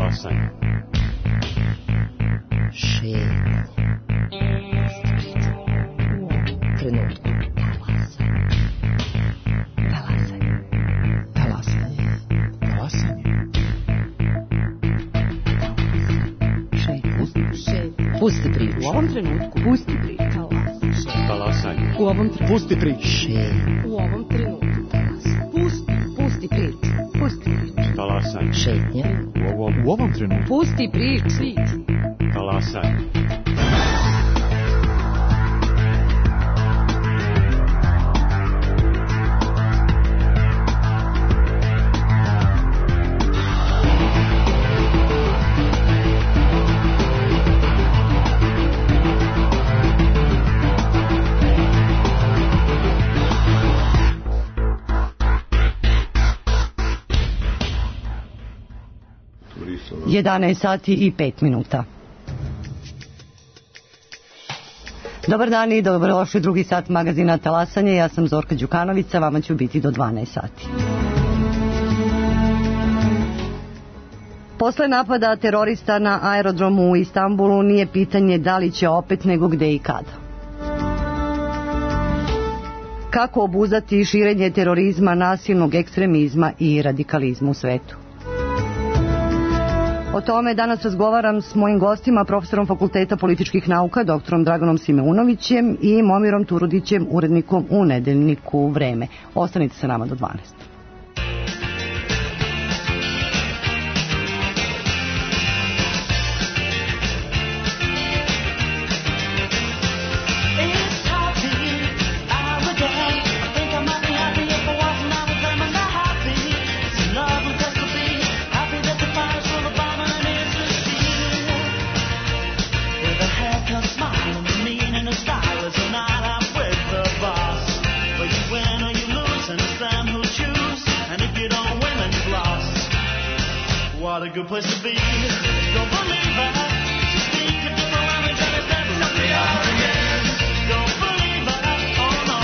Talasanje. Šetnje. Trenutku. Pusti priču. U ovom trenutku. Pusti priču. Talasanje. U ovom trenutku. Pusti priču. U ovom trenutku. Pusti priču. Pusti priču. Talasanje. Šetnje. U ovom trenutku. Pusti priču. Talasanje. Sati i 5 minuta. Dobar dan i dobrodošli drugi sat magazina Talasanje. Ja sam Zorka Đukanovića, vama ću biti do 12 sati. Posle napada terorista na aerodromu u Istanbulu nije pitanje da li će opet, nego gde i kada. Kako obuzdati širenje terorizma, nasilnog ekstremizma i radikalizma u svetu? O tome danas razgovaram s mojim gostima, profesorom Fakulteta političkih nauka, doktorom Draganom Simeunovićem i Momirom Turudićem, urednikom u nedeljniku Vreme. Ostanite sa nama do 12. What a good place to be. Don't believe it. Just speak a different language and it's never really out again. Don't believe it. Oh no.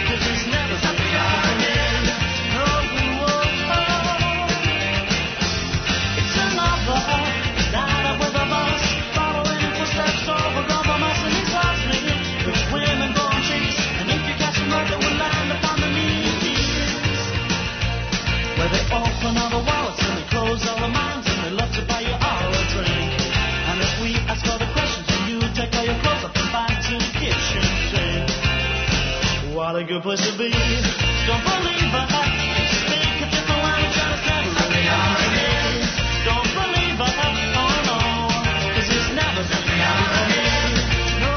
Cause it's never really out again. Oh, oh, oh. It's another night with a bus. Following in footsteps over compromise and exhausting. With women born cheeks. And if you catch them right, they will land upon the knees. Where they open all the wallets and they close all the minds and they love to buy you all a drink. And if we ask all the questions and you take all your clothes up and back to the kitchen sink. What a good place to be. Don't believe it. Speak a different language and it's never really out again. Don't believe it. Oh no. Cause it's never really out again. No.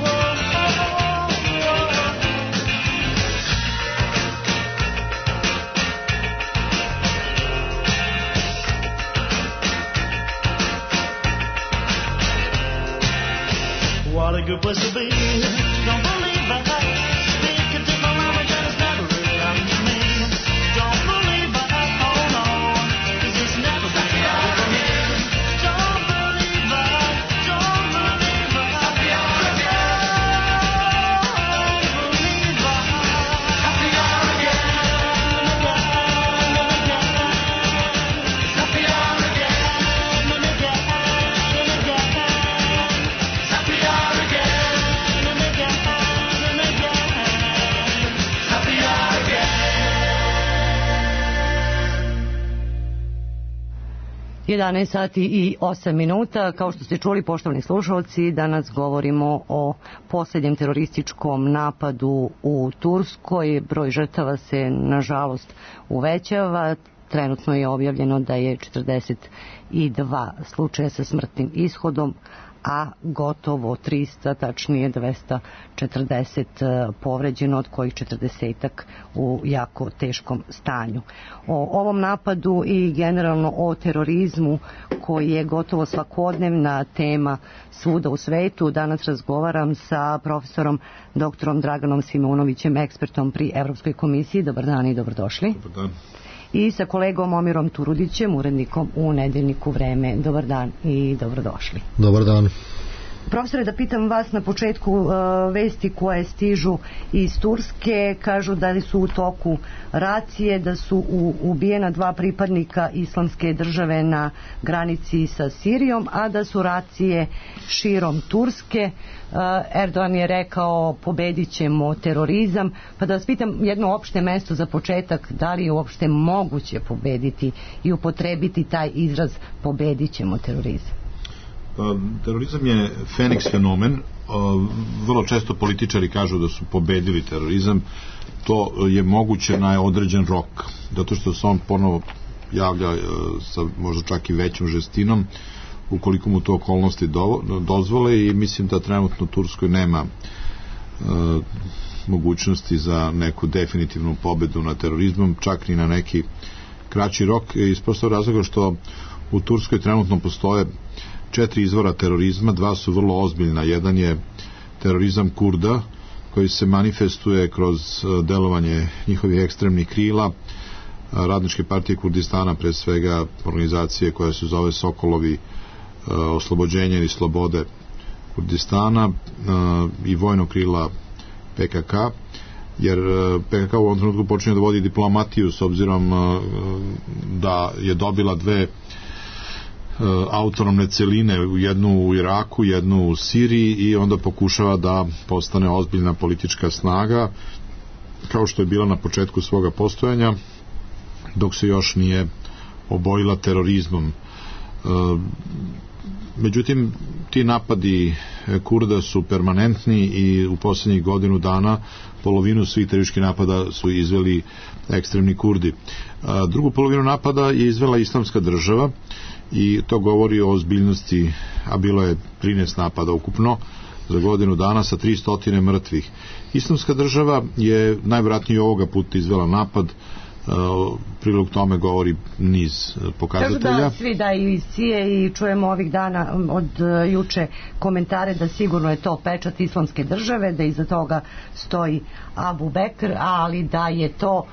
Oh, oh, oh, oh. What a good place to be. Don't believe it. Speak a different language and it's never really happened to me. Don't believe it. Oh no. Cause it's never really happened to me. Don't believe it. Don't believe it. Happy hour again. Don't believe it. Happy hour again. Happy hour again. Happy hour again. 11 sati i 8 minuta. Kao što ste čuli, poštovani slušalci, danas govorimo o posljednjem terorističkom napadu u Turskoj. Broj žrtava se, nažalost, uvećava. Trenutno je objavljeno da je 42 slučaja sa smrtnim ishodom, a gotovo 300, tačnije 240 povređeno, od kojih 40-ak u jako teškom stanju. O ovom napadu i generalno o terorizmu, koji je gotovo svakodnevna tema svuda u svetu, danas razgovaram sa profesorom doktorom Draganom Simeunovićem, ekspertom pri Evropskoj komisiji. Dobar dan i dobrodošli. Dobar dan. I sa kolegom Momirom Turudićem, urednikom u nedeljniku Vreme. Dobar dan i dobrodošli. Dobar dan. Profesore, da pitam vas na početku, vesti koje stižu iz Turske kažu da su u toku racije, da su ubijena 2 pripadnika Islamske države na granici sa Sirijom, a da su racije širom Turske. Erdogan je rekao pobedit ćemo terorizam, pa da vas pitam jedno opšte mesto za početak, da li je uopšte moguće pobediti i upotrebiti taj izraz pobedit ćemo terorizam? Terorizam je Feniks fenomen. Vrlo često političari kažu da su pobedili terorizam. To je moguće na određen rok, zato što se on ponovo javlja sa možda čak i većom žestinom ukoliko mu to okolnosti dozvole, i mislim da trenutno Turskoj nema mogućnosti za neku definitivnu pobedu nad terorizmom, čak ni na neki kraći rok, iz prostog razloga što u Turskoj trenutno postoje 4 izvora terorizma, 2 su vrlo ozbiljna. Jedan je terorizam Kurda, koji se manifestuje kroz delovanje njihovih ekstremnih krila, Radničke partije Kurdistana, pre svega organizacije koja se zove Sokolovi oslobođenje i slobode Kurdistana, i vojnog krila PKK, jer PKK u ovom trenutku počinje da vodi diplomatiju s obzirom da je dobila 2 autonomne celine, jednu u Iraku, jednu u Siriji, i onda pokušava da postane ozbiljna politička snaga, kao što je bila na početku svoga postojanja, dok se još nije obojila terorizmom. Međutim, ti napadi Kurda su permanentni i u posljednjih godinu dana polovinu svih terorističkih napada su izveli ekstremni Kurdi. Drugu polovinu napada je izvela Islamska država, i to govori o ozbiljnosti, a bilo je 13 napada ukupno za godinu dana sa 300 mrtvih. Islamska država je najvjerojatnije ovoga puta izvela napad, prilog tome govori niz pokazatelja. Kažu da svi daju iz CIA i čujemo ovih dana od juče komentare da sigurno je to pečat Islamske države, da iza toga stoji Abu Bekr, ali da je to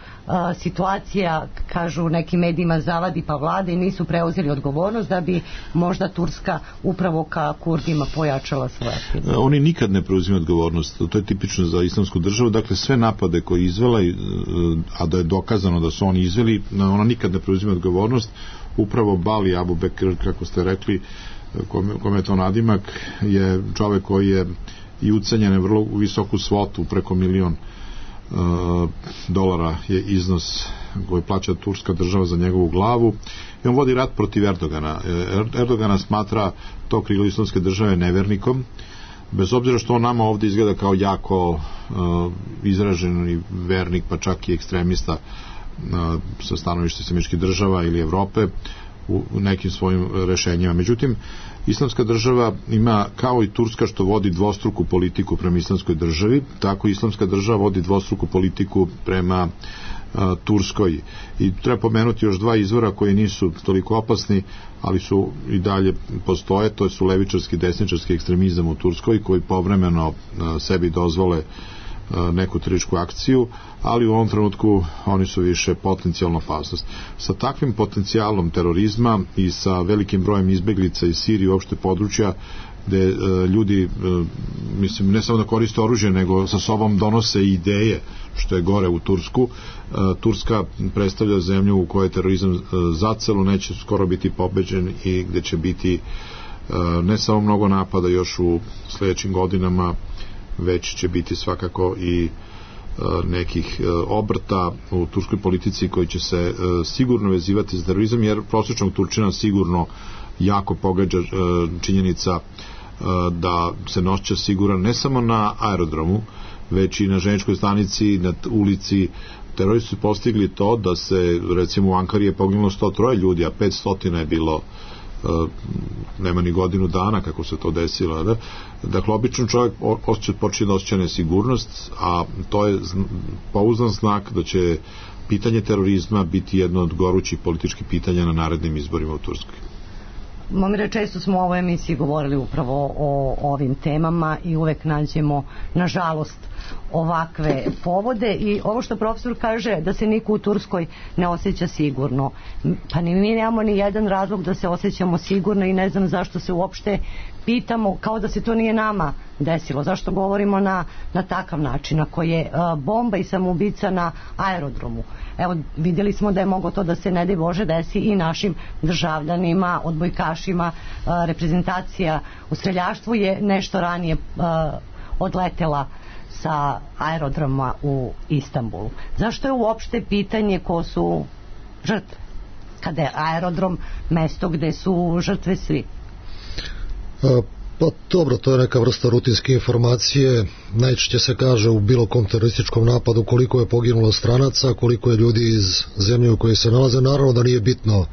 situacija, kažu nekim medijima, zavadi pa vlade i nisu preuzeli odgovornost, da bi možda Turska upravo ka Kurdima pojačala svoje aktivnosti. Oni nikad ne preuzimaju odgovornost, to je tipično za Islamsku državu. Dakle, sve napade koje izvela, a da je dokazano da su oni izveli, ona nikad ne preuzima odgovornost. Upravo Bali Abu Bekr, kako ste rekli, kome je to nadimak, je čovek koji je i ucenjen vrlo visoku svotu, preko $1.000.000 je iznos koji plaća turska država za njegovu glavu, i on vodi rat protiv Erdogana. Erdogana smatra to krilo Islamske države nevernikom, bez obzira što on nama ovdje izgleda kao jako izražen vernik, pa čak i ekstremista sa stanovišta Američkih država ili Evrope u nekim svojim rešenjima. Međutim, Islamska država ima, kao i Turska što vodi dvostruku politiku prema Islamskoj državi, tako Islamska država vodi dvostruku politiku prema Turskoj, i treba pomenuti još 2 izvora koji nisu toliko opasni, ali su i dalje postoje. To su levičarski i desničarski ekstremizam u Turskoj, koji povremeno sebi dozvole neku terorističku akciju, ali u ovom trenutku oni su više potencijalna opasnost. Sa takvim potencijalom terorizma i sa velikim brojem izbeglica iz Sirije, uopšte područja gde ljudi, mislim, ne samo da koriste oružje, nego sa sobom donose ideje, što je gore u Tursku. Turska predstavlja zemlju u kojoj terorizam zacelo neće skoro biti pobeđen i gde će biti ne samo mnogo napada još u sledećim godinama, već će biti svakako i nekih obrta u turskoj politici koji će se sigurno vezivati za terorizam, jer prosječnog Turčina sigurno jako pogađa činjenica da se nošća siguran ne samo na aerodromu, već i na željezničkoj stanici, na ulici. Teroristi su postigli to da se, recimo, u Ankari je poginulo 103 ljudi, a 500 je bilo nema ni godinu dana kako se to desilo, da? Dakle, obično čovjek počne da osjeća nesigurnost, a to je pouzdan znak da će pitanje terorizma biti jedno od gorućih političkih pitanja na narednim izborima u Turskoj. Momire, često smo u ovoj emisiji govorili upravo o ovim temama i uvek nađemo, nažalost, ovakve povode. I ovo što profesor kaže da se niko u Turskoj ne osjeća sigurno, pa ni mi nemamo ni jedan razlog da se osjećamo sigurno i ne znam zašto se uopšte pitamo kao da se to nije nama desilo. Zašto govorimo na takav način ako je bomba i samoubica na aerodromu? Evo, vidjeli smo da je moglo to da se ne daj Bože desi i našim državljanima, odbojkašima. Reprezentacija u streljaštvu je nešto ranije odletela sa aerodroma u Istanbulu. Zašto je uopšte pitanje ko su žrtve? Kada je aerodrom mesto gde su žrtve svi? Pa dobro, to je neka vrsta rutinske informacije. Najčešće se kaže u bilo kom terorističkom napadu koliko je poginulo stranaca, koliko je ljudi iz zemlje u kojoj se nalaze. Naravno da nije bitno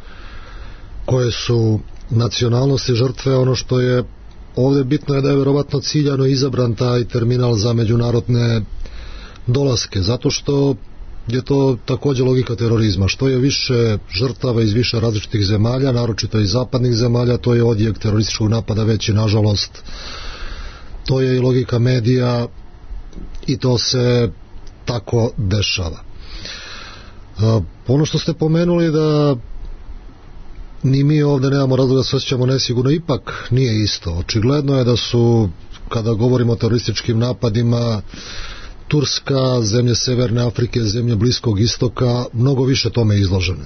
koje su nacionalnosti žrtve. Ono što je ovdje bitno je da je vjerovatno ciljano izabran taj terminal za međunarodne dolaske, zato što je to također logika terorizma. Što je više žrtava iz više različitih zemalja, naročito iz zapadnih zemalja, to je odjek terorističkog napada veći, nažalost. To je i logika medija i to se tako dešava. Ono što ste pomenuli da ni mi ovdje nemamo razloga da se osjećamo nesigurno, ipak nije isto. Očigledno je da su, kada govorimo o terorističkim napadima, Turska, zemlje Severne Afrike, zemlje Bliskog istoka mnogo više tome izložene.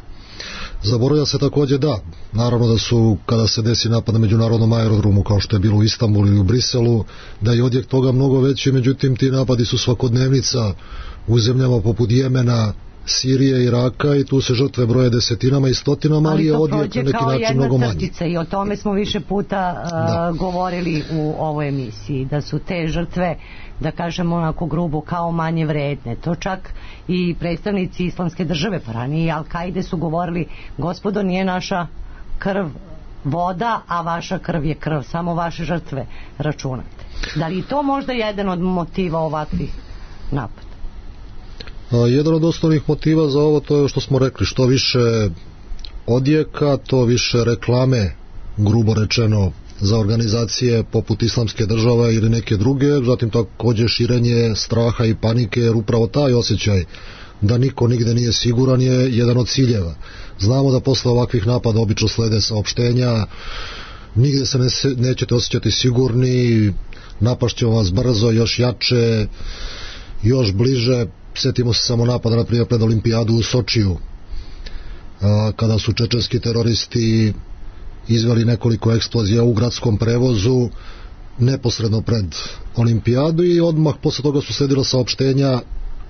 Zaboravlja se također da, naravno da su, kada se desi napad na međunarodnom aerodromu kao što je bilo u Istanbulu ili u Briselu, da je odjek toga mnogo veći, međutim ti napadi su svakodnevnica u zemljama poput Jemena, Sirije, Iraka i tu se žrtve broje desetinama i stotinama, ali je odjek na neki način mnogo manji. I o tome smo više puta govorili u ovoj emisiji, da su te žrtve, da kažemo onako grubo, kao manje vredne. To čak i predstavnici Islamske države, pa ranije i Al-Kaide su govorili, gospodo, nije naša krv voda, a vaša krv je krv, samo vaše žrtve računate. Da li je to možda jedan od motiva ovakvih napada? Jedan od osnovnih motiva za ovo to je što smo rekli, što više odjeka, to više reklame, grubo rečeno, za organizacije poput Islamske države ili neke druge, zatim također širenje straha i panike, jer upravo taj osjećaj da niko nigde nije siguran je jedan od ciljeva. Znamo da posle ovakvih napada obično slede saopštenja, nigde se nećete osjećati sigurni, napašćemo vas brzo, još jače, još bliže. Sjetimo se samo napada na primjer pred olimpijadu u Sočiju, kada su čečenski teroristi izveli nekoliko eksplozija u gradskom prevozu neposredno pred olimpijadu i odmah posle toga su sledila saopštenja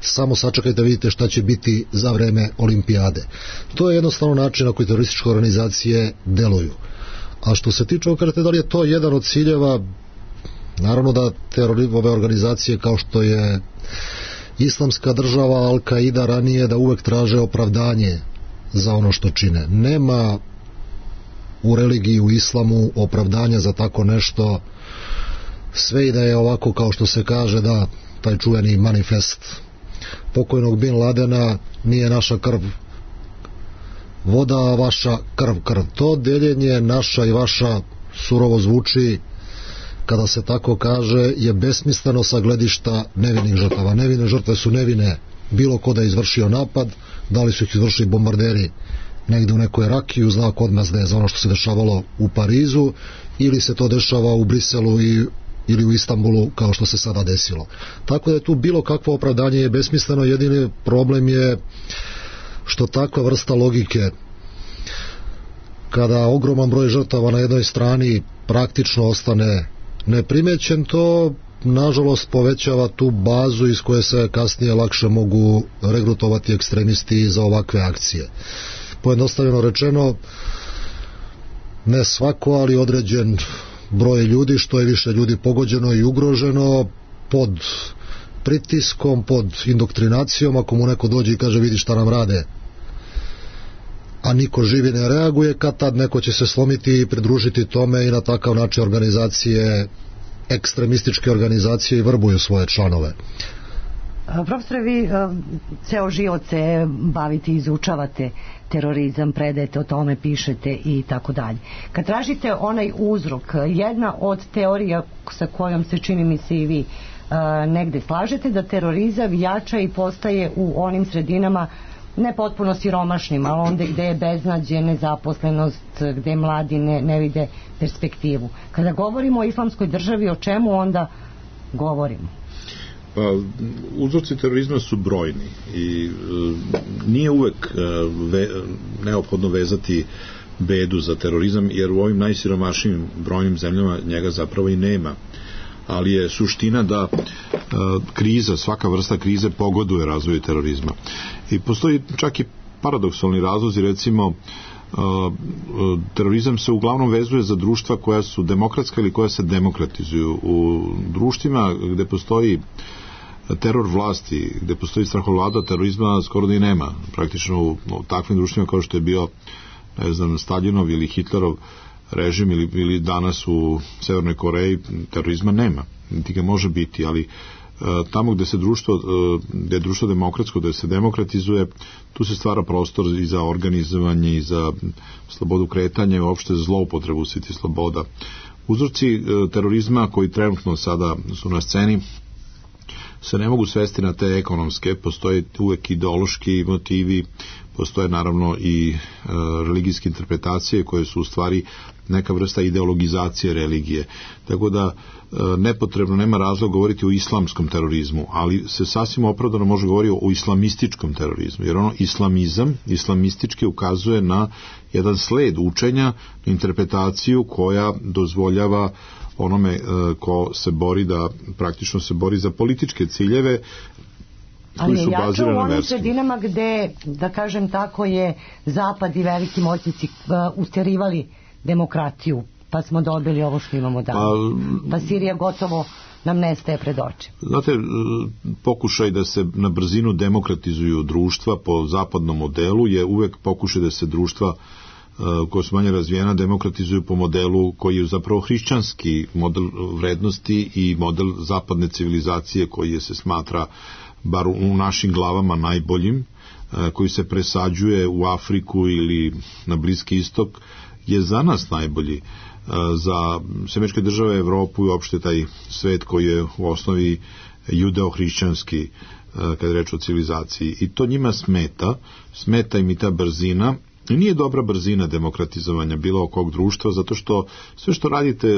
samo sačekajte, vidite šta će biti za vreme olimpijade. To je jednostavno način na koji terorističke organizacije deluju. A što se tiče okrete, da li je to jedan od ciljeva, naravno da ove organizacije kao što je Islamska država, Al-Kaida ranije, da uvek traže opravdanje za ono što čine. Nema u religiji, u islamu opravdanja za tako nešto, sve i da je ovako kao što se kaže, da, taj čuveni manifest pokojnog Bin Ladena, nije naša krv voda, a vaša krv krv. To deljenje naša i vaša surovo zvuči kada se tako kaže, je besmisleno sa gledišta nevinih žrtava. Nevine žrtve su nevine, bilo ko da je izvršio napad, da li su ih izvršili bombarderi negde u nekoj Rakiji u znak odmazde za ono što se dešavalo u Parizu, ili se to dešava u Briselu ili u Istanbulu kao što se sada desilo. Tako da je tu bilo kakvo opravdanje je besmisleno, jedini problem je što takva vrsta logike, kada ogroman broj žrtava na jednoj strani praktično ostane neprimećen, to nažalost povećava tu bazu iz koje se kasnije lakše mogu regrutovati ekstremisti za ovakve akcije. Pojednostavljeno rečeno, ne svako, ali određen broj ljudi, što je više ljudi pogođeno i ugroženo, pod pritiskom, pod indoktrinacijom, ako mu neko dođe i kaže vidi šta nam rade, a niko živi ne reaguje, kad tad neko će se slomiti i pridružiti tome i na takav način organizacije, ekstremističke organizacije i vrbuju svoje članove. Profesore, vi ceo život se bavite, izučavate terorizam, predajete o tome, pišete i tako dalje. Kad tražite onaj uzrok, jedna od teorija sa kojom se čini mi se i vi negde slažete da terorizam jača i postaje u onim sredinama ne potpuno siromašnim, ali onda gde je beznađe, nezaposlenost, gde mladi ne vide perspektivu. Kada govorimo o islamskoj državi, o čemu onda govorimo? Pa, uzroci terorizma su brojni i nije uvek neophodno vezati bedu za terorizam, jer u ovim najsiromašnijim brojnim zemljama njega zapravo i nema. Ali je suština da kriza, svaka vrsta krize pogoduje razvoju terorizma. I postoji čak i paradoksalni razlozi, recimo terorizam se uglavnom vezuje za društva koja su demokratska ili koja se demokratizuju. U društvima gde postoji teror vlasti, gde postoji strahovlada, terorizma skoro da i nema. Praktično u takvim društvima kao što je bio, ne znam, Staljinov ili Hitlerov režim ili danas u Severnoj Koreji, terorizma nema, niti ga može biti, ali tamo gde je društvo demokratsko, gde se demokratizuje, tu se stvara prostor i za organizovanje i za slobodu kretanja i uopšte za zloupotrebu svih tih sloboda. Uzroci terorizma koji trenutno sada su na sceni se ne mogu svesti na te ekonomske, postoje uvek ideološki motivi, postoje naravno i religijske interpretacije koje su u stvari neka vrsta ideologizacije religije. Tako da nepotrebno, nema razloga govoriti o islamskom terorizmu, ali se sasvim opravdano može govoriti o islamističkom terorizmu, jer islamistički ukazuje na jedan sled učenja, interpretaciju koja dozvoljava onome ko se bori da praktično se bori za političke ciljeve koji su bazirani na verskom. Ali je jača u onim sredinama gde, da kažem tako, je Zapad i veliki moćnici usterivali demokratiju, pa smo dobili ovo što imamo danas. Pa Sirija gotovo nam nestaje pred očima. Znate, pokušaj da se na brzinu demokratizuju društva po zapadnom modelu je uvek pokušaj da se društva koja su manje razvijena demokratizuju po modelu koji je zapravo hrišćanski model vrednosti i model zapadne civilizacije koji se smatra bar u našim glavama najboljim, koji se presađuje u Afriku ili na Bliski istok, je za nas najbolji. Za Američke države, Evropu i uopšte taj svet koji je u osnovi judeo-hrišćanski kada je reč o civilizaciji. I to njima smeta im i ta brzina. I nije dobra brzina demokratizovanja bilo kog društva, zato što sve što radite,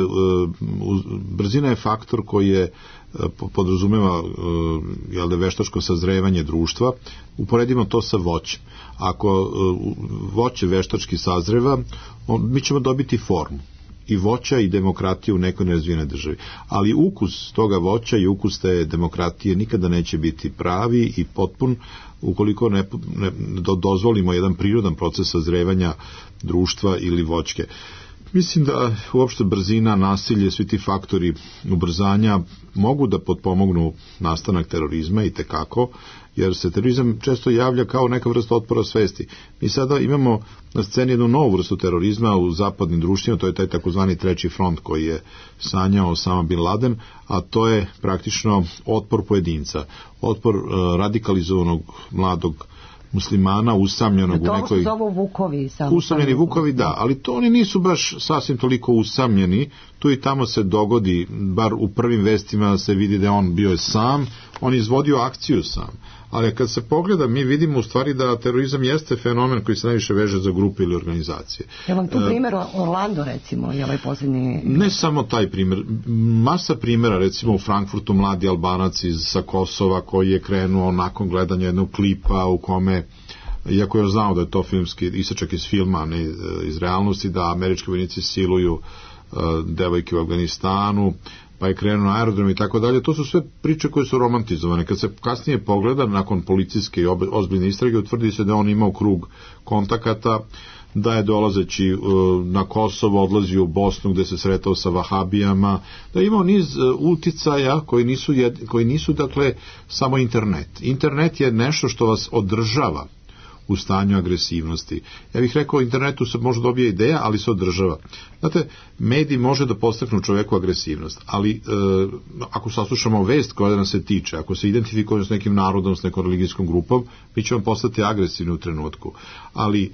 brzina je faktor koji je podrazumeva veštačko sazrevanje društva. Uporedimo to sa voćem. Ako voće veštački sazreva, mi ćemo dobiti formu i voća i demokratije u nekoj nerazvijenoj državi. Ali ukus toga voća i ukus te demokratije nikada neće biti pravi i potpun ukoliko ne dozvolimo jedan prirodan proces sazrevanja društva ili voćke. Mislim da uopšte brzina, nasilje, svi ti faktori ubrzanja mogu da potpomognu nastanak terorizma i tekako, jer se terorizam često javlja kao neka vrsta otpora svesti. Mi sada imamo na sceni jednu novu vrstu terorizma u zapadnim društvima, to je taj takozvani treći front koji je sanjao Osama Bin Laden, a to je praktično otpor pojedinca, otpor radikalizovanog mladog muslimana usamljenog u nekoj... To zovu vukovi. Usamljeni vukovi, da, ali to oni nisu baš sasvim toliko usamljeni, tu i tamo se dogodi, bar u prvim vestima se vidi da on bio sam, on izvodio akciju sam. Ali kad se pogleda, mi vidimo u stvari da terorizam jeste fenomen koji se najviše veže za grupe ili organizacije. Je vam tu primjer Orlando, recimo, je ovaj posljednji... Ne samo taj primjer, masa primjera, recimo u Frankfurtu mladi Albanac sa Kosova koji je krenuo nakon gledanja jednog klipa u kome, iako je znao da je to filmski isečak iz filma, a ne iz realnosti, da američki vojnici siluju devojke u Afganistanu, pa je krenuo na aerodrom i tako dalje. To su sve priče koje su romantizovane. Kad se kasnije pogleda, nakon policijske i ozbiljne istrage, utvrdi se da on imao krug kontakata, da je dolazeći na Kosovo odlazio u Bosnu gde se sretao sa vahabijama, da je imao niz uticaja koji nisu dakle samo internet. Internet je nešto što vas održava u stanju agresivnosti. Ja bih rekao, internetu se može dobije ideja, ali se održava. Znate, medij može da podstaknu čoveku agresivnost, ali ako saslušamo vest koja nas se tiče, ako se identifikujemo s nekim narodom, s nekom religijskom grupom, mi ćemo postati agresivni u trenutku. Ali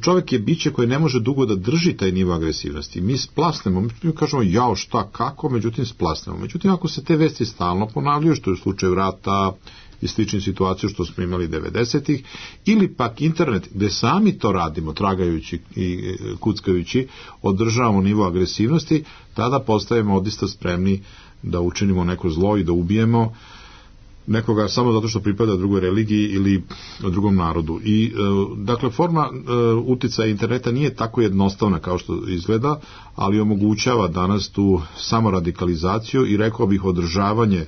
čovjek je biće koje ne može dugo da drži taj nivo agresivnosti. Mi splasnemo, mi kažemo jao šta, kako, međutim splasnemo. Međutim, ako se te vesti stalno ponavljaju, što je u slučaju rata i sličnih situacija što smo imali 90-ih, ili pak internet gde sami to radimo, tragajući i kuckajući, održavamo nivo agresivnosti, tada postajemo odista spremni da učinimo neko zlo i da ubijemo nekoga samo zato što pripada drugoj religiji ili drugom narodu. I dakle, forma uticaja interneta nije tako jednostavna kao što izgleda, ali omogućava danas tu samoradikalizaciju i rekao bih održavanje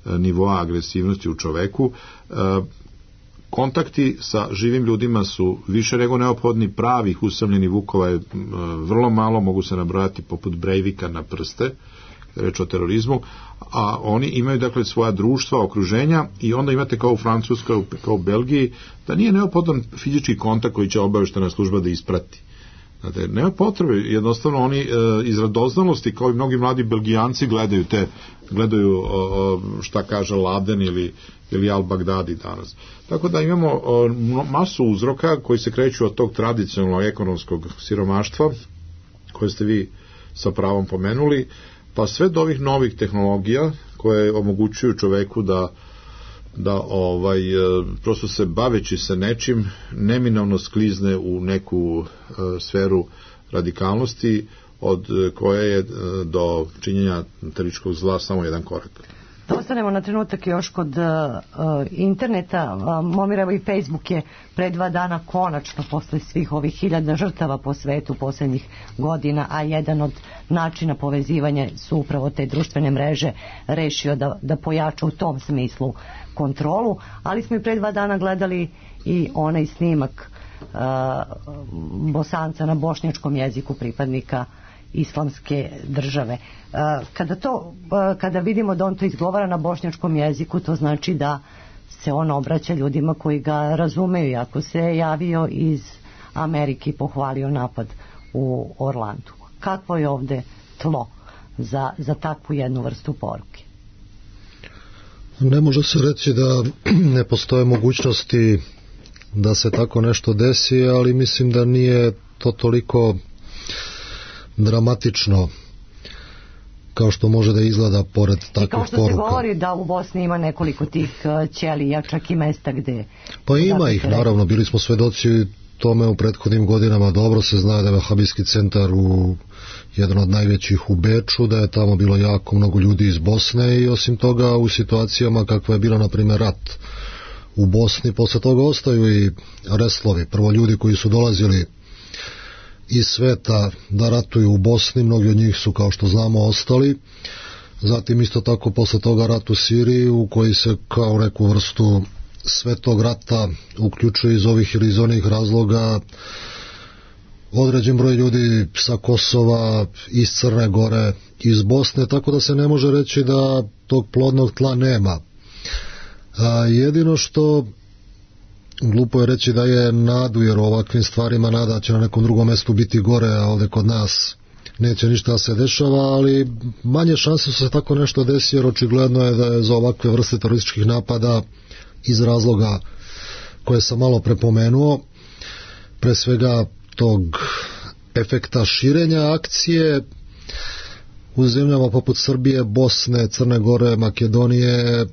nivoa agresivnosti u čoveku. Kontakti sa živim ljudima su više nego neophodni, pravih usamljenih vukova je vrlo malo, mogu se nabrojati poput Breivika na prste, reč o terorizmu, a oni imaju dakle svoja društva, okruženja i onda imate kao u Francuskoj, kao u Belgiji, da nije neophodan fizički kontakt koji će obavještajna služba da isprati. Znate, nema potrebe, jednostavno oni iz radoznalosti, kao i mnogi mladi Belgijanci, gledaju šta kaže Laden ili Al-Baghdadi danas. Tako da imamo masu uzroka koji se kreću od tog tradicionalnog ekonomskog siromaštva, koje ste vi sa pravom pomenuli, pa sve do ovih novih tehnologija koje omogućuju čoveku da prosto se baveći se nečim neminovno sklizne u neku sferu radikalnosti od koje je do činjenja terorističkog zla samo jedan korak. Da ostanemo na trenutak još kod interneta. Momir, evo i Facebook je pre 2 dana konačno posle svih ovih 1000 žrtava po svetu posljednjih godina, a jedan od načina povezivanja su upravo te društvene mreže, rešio da pojača u tom smislu kontrolu, ali smo i pre 2 dana gledali i onaj snimak Bosanca na bošnjačkom jeziku, pripadnika Islamske države. Kada vidimo da on to izgovara na bošnjačkom jeziku, to znači da se on obraća ljudima koji ga razumeju. I ako se javio iz Amerike i pohvalio napad u Orlandu, kakvo je ovde tlo za takvu jednu vrstu poruke? Ne može se reći da ne postoje mogućnosti da se tako nešto desi, ali mislim da nije to toliko dramatično kao što može da izgleda pored takvih poruka. I kao što se govori da u Bosni ima nekoliko tih ćelija, čak i mesta gde... Pa ima ih, naravno, bili smo svedoci tome u prethodnim godinama. Dobro se zna da je Vahabijski centar jedan od najvećih u Beču, da je tamo bilo jako mnogo ljudi iz Bosne i osim toga u situacijama kakva je bila, na primjer, rat u Bosni, posle toga ostaju i reslovi. Prvo ljudi koji su dolazili iz sveta da ratuju u Bosni, mnogi od njih su, kao što znamo, ostali. Zatim isto tako posle toga rat u Siriji, u koji se kao neku vrstu svetog rata uključuje iz ovih ili iz onih razloga određen broj ljudi sa Kosova, iz Crne Gore, iz Bosne, tako da se ne može reći da tog plodnog tla nema. Jedino što glupo je reći da je nadu, jer u ovakvim stvarima nada će na nekom drugom mestu biti gore, a ovde kod nas neće ništa da se dešava, ali manje šanse su se tako nešto desi, jer očigledno je da je za ovakve vrste terorističkih napada iz razloga koje sam malo prepomenuo, pre svega tog efekta širenja akcije u zemljama poput Srbije, Bosne, Crne Gore, Makedonije,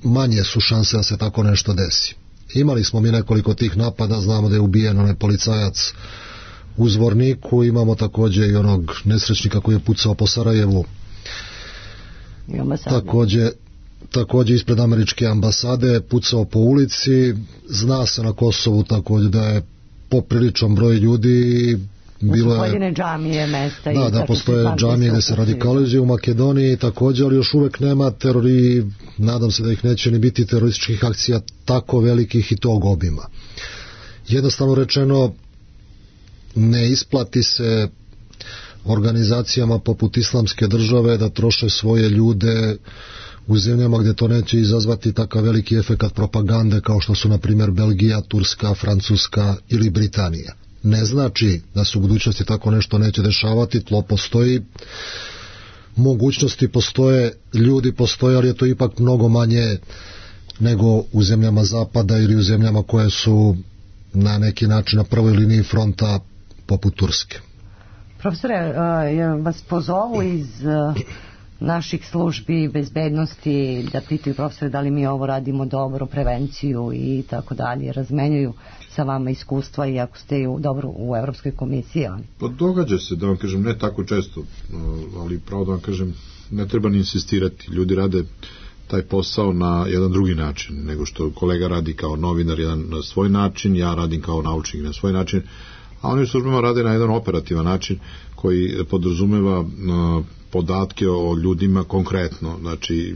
manje su šanse da se tako nešto desi. Imali smo mi nekoliko tih napada, znamo da je ubijen onaj policajac u Zvorniku, imamo takođe i onog nesrećnika koji je pucao po Sarajevu, takođe ispred američke ambasade, pucao po ulici. Zna se na Kosovu takođe da je popriličan broj ljudi, bilo je pojedine džamije, mesta, da postoje džamije gde se radikalizuju. U Makedoniji takođe, ali još uvek nema terori, nadam se da ih neće ni biti, terorističkih akcija tako velikih i tog obima. Jednostavno rečeno, ne isplati se organizacijama poput Islamske države da troše svoje ljude u zemljama gdje to neće izazvati takav veliki efekat propagande kao što su na primjer Belgija, Turska, Francuska ili Britanija. Ne znači da se u budućnosti tako nešto neće dešavati, tlo postoji, mogućnosti postoje, ljudi postoje, ali je to ipak mnogo manje nego u zemljama zapada ili u zemljama koje su na neki način na prvoj liniji fronta poput Turske. Profesore, vas pozovu iz naših službi bezbednosti da pitaju profesore da li mi ovo radimo dobro, prevenciju i tako dalje, razmenjuju sa vama iskustva i ako ste dobro u Evropskoj komisiji? Pa događa se, da vam kažem, ne tako često, ali pravo da vam kažem, ne treba ni insistirati. Ljudi rade taj posao na jedan drugi način, nego što kolega radi kao novinar jedan na svoj način, ja radim kao naučnik na svoj način, a oni u službama rade na jedan operativan način koji podrazumeva podatke o ljudima konkretno. Znači,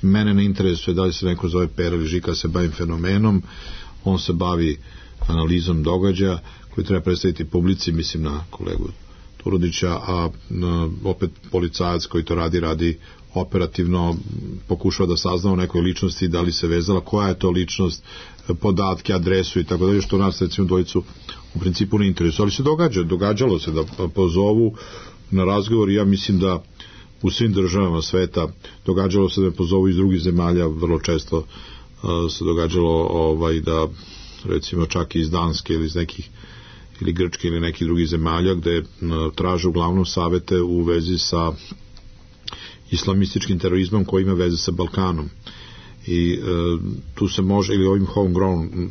mene ne interesuje da li se neko zove Pera ili Žika, se bavim fenomenom, on se bavi analizom događaja koji treba predstaviti publici, mislim na kolegu Turudića, a opet policajac koji to radi operativno, pokušava da sazna o nekoj ličnosti, da li se vezala, koja je to ličnost, podatke, adresu i tako dalje, što nas recimo dvojicu u principu ne interesuje, ali se događalo se da pozovu na razgovor i ja mislim da u svim državama sveta događalo se da me pozovu iz drugih zemalja, vrlo često se događalo da recimo čak iz Danske ili iz nekih ili Grčke ili nekih drugih zemalja gde traže uglavnom savete u vezi sa islamističkim terorizmom koji ima veze sa Balkanom i tu se može, ili ovim homegrown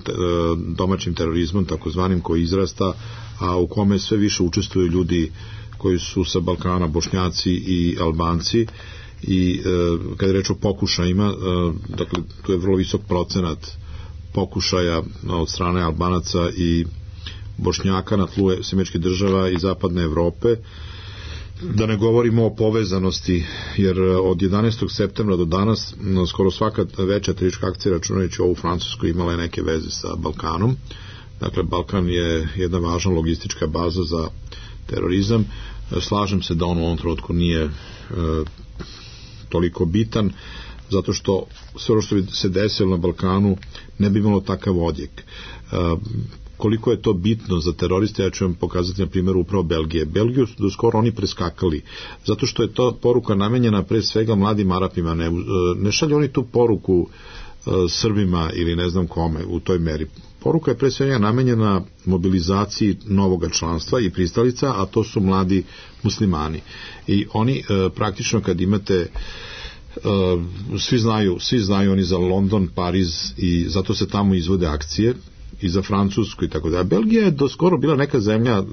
domaćim terorizmom takozvanim koji izrasta, a u kome sve više učestvuju ljudi koji su sa Balkana, Bošnjaci i Albanci i kada je reč o pokušajima, dakle tu je vrlo visok procenat pokušaja od strane Albanaca i Bošnjaka na tlu Američkih država i zapadne Evrope, da ne govorimo o povezanosti, jer od 11. septembra do danas skoro svaka veća teroristička akcija, računajući ovu Francusku, imala je neke veze sa Balkanom. Dakle, Balkan je jedna važna logistička baza za terorizam. Slažem se da on u ovom trenutku nije toliko bitan, zato što sve ono što bi se desilo na Balkanu ne bi imalo takav odjek. Koliko je to bitno za teroriste, ja ću vam pokazati na primjeru upravo Belgije. Belgiju su do skoro oni preskakali, zato što je to poruka namenjena pre svega mladim Arapima. Ne šalju oni tu poruku Srbima ili ne znam kome u toj meri. Poruka je pre svega namenjena mobilizaciji novoga članstva i pristalica, a to su mladi muslimani. I oni praktično kad imate svi znaju oni za London, Pariz i zato se tamo izvode akcije i za Francusku i tako da. Belgija je do skoro bila neka zemlja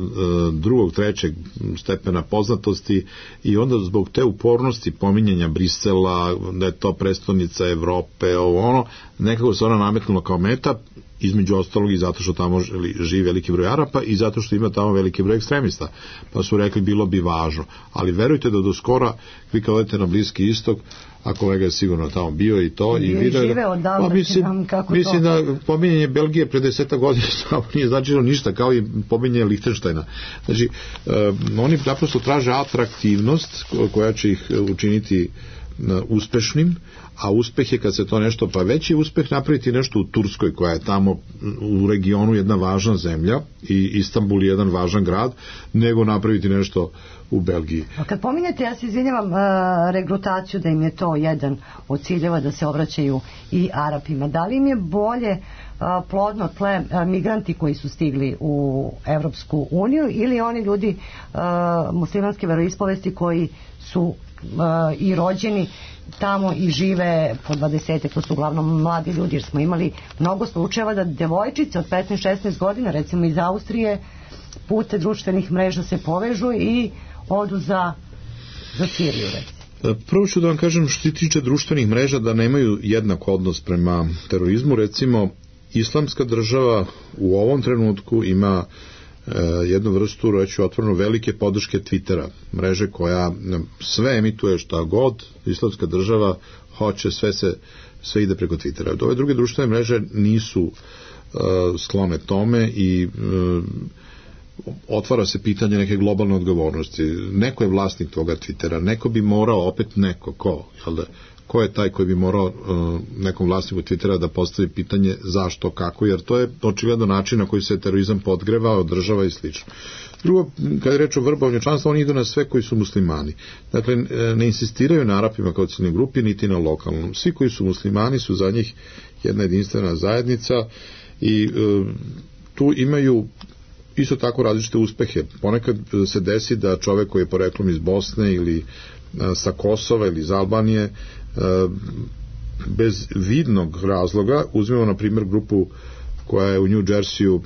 drugog, trećeg stepena poznatosti i onda zbog te upornosti pominjanja Brisela, da je to prestonica Evrope, nekako se ona nametnula kao meta, između ostalog i zato što tamo živi veliki broj Arapa i zato što ima tamo veliki broj ekstremista. Pa su rekli bilo bi važno. Ali verujte da do skora, vi kad odete na Bliski istok, a kolega je sigurno tamo bio i to i video da, mislim da pominjanje Belgije pre 10 godina nije značilo ništa, kao i pominjanje Lihtenštajna. Znači, oni naprosto traže atraktivnost koja će ih učiniti uspešnim, a uspeh je kad se to nešto, pa veći uspeh napraviti nešto u Turskoj koja je tamo u regionu jedna važna zemlja i Istanbul je jedan važan grad, nego napraviti nešto u Belgiji. A kad pominjete, ja se izvinjavam, regrutaciju, da im je to jedan od ciljeva da se obraćaju i Arapima, da li im je bolje plodno tle migranti koji su stigli u Evropsku uniju ili oni ljudi muslimanske veroispovesti koji su i rođeni tamo i žive po 20, to su uglavnom mladi ljudi, jer smo imali mnogo slučajeva da devojčice od 15-16 godina, recimo iz Austrije, putem društvenih mreža se povežu i odu za Siriju, recimo. Prvo ću da vam kažem što se tiče društvenih mreža da nemaju jednak odnos prema terorizmu. Recimo, Islamska država u ovom trenutku ima jednu vrstu, reću otvoreno, velike podrške Twittera, mreže koja sve emituje šta god, Islamska država hoće, sve ide preko Twittera. Ove druge društvene mreže nisu sklone tome i otvara se pitanje neke globalne odgovornosti. Neko je vlasnik toga Twittera, neko bi morao, opet neko, ko je taj koji bi morao nekom vlasniku Twittera da postavi pitanje zašto, kako, jer to je očigledno način na koji se terorizam podgreva, održava i slično. Drugo, kada je reč o vrbovanju članstva, oni idu na sve koji su muslimani. Dakle, ne insistiraju na Arapima kao ciljnoj grupi, niti na lokalnom. Svi koji su muslimani su za njih jedna jedinstvena zajednica i tu imaju isto tako različite uspehe. Ponekad se desi da čovek koji je poreklom iz Bosne ili sa Kosova ili iz Albanije bez vidnog razloga, uzmemo na primjer grupu koja je u New Jerseyu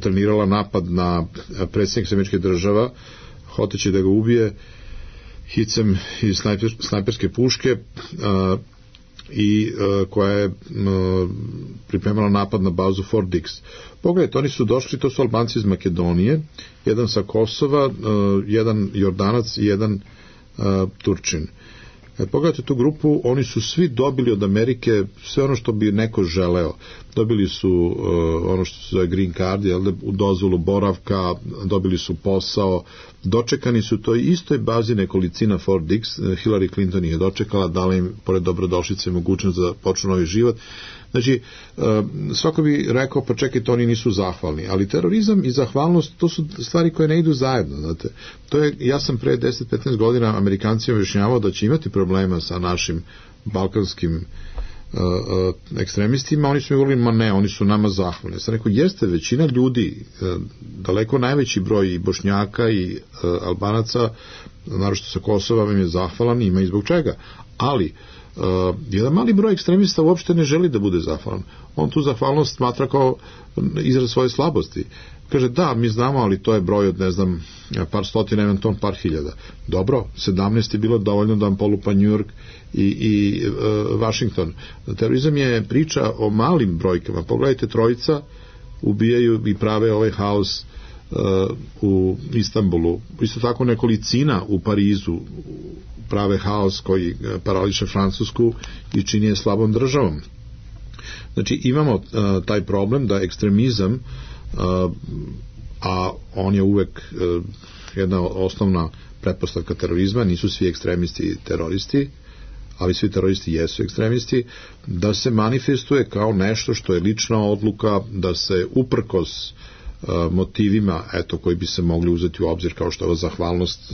trenirala napad na predsjednika Američkih država, hoteći da ga ubije hicem iz snajperske puške i koja je pripremala napad na bazu Fort Dix. Pogledajte, oni su došli, to su Albanci iz Makedonije, jedan sa Kosova, jedan Jordanac i jedan Turčin. Pogledajte tu grupu, oni su svi dobili od Amerike sve ono što bi neko želeo. Dobili su ono što se zove green card, u dozvolu boravka, dobili su posao, dočekani su toj istoj bazi nekolicina Fort Dix, Hillary Clinton ih je dočekala, dala im pored dobrodošlice mogućnost da počnu novi život. Znači, svako bi rekao, pa čekajte, oni nisu zahvalni, ali terorizam i zahvalnost, to su stvari koje ne idu zajedno, znate. To je, ja sam pre 10-15 godina Amerikancima objašnjavao da će imati problema sa našim balkanskim ekstremistima, oni su mi govorili, ma ne, oni su nama zahvalni. Ja sam rekao, jeste, većina ljudi, daleko najveći broj i Bošnjaka i Albanaca, naročito sa Kosova, vam je zahvalan, ima i zbog čega, ali jedan mali broj ekstremista uopšte ne želi da bude zahvalan. On tu zahvalnost smatra kao izraz svoje slabosti. Kaže, da, mi znamo, ali to je broj od, ne znam, par stotina, eventualno par hiljada. Dobro, 17 je bilo dovoljno da vam polupa New York i Washington. Terorizam je priča o malim brojkama. Pogledajte, trojica ubijaju i prave ovaj haos u Istanbulu. Isto tako nekolicina u Parizu prave haos koji parališe Francusku i čini je slabom državom. Znači, imamo taj problem da ekstremizam, a on je uvek jedna osnovna pretpostavka terorizma, nisu svi ekstremisti teroristi, ali svi teroristi jesu ekstremisti, da se manifestuje kao nešto što je lična odluka, da se uprkos motivima, eto, koji bi se mogli uzeti u obzir, kao što je ova zahvalnost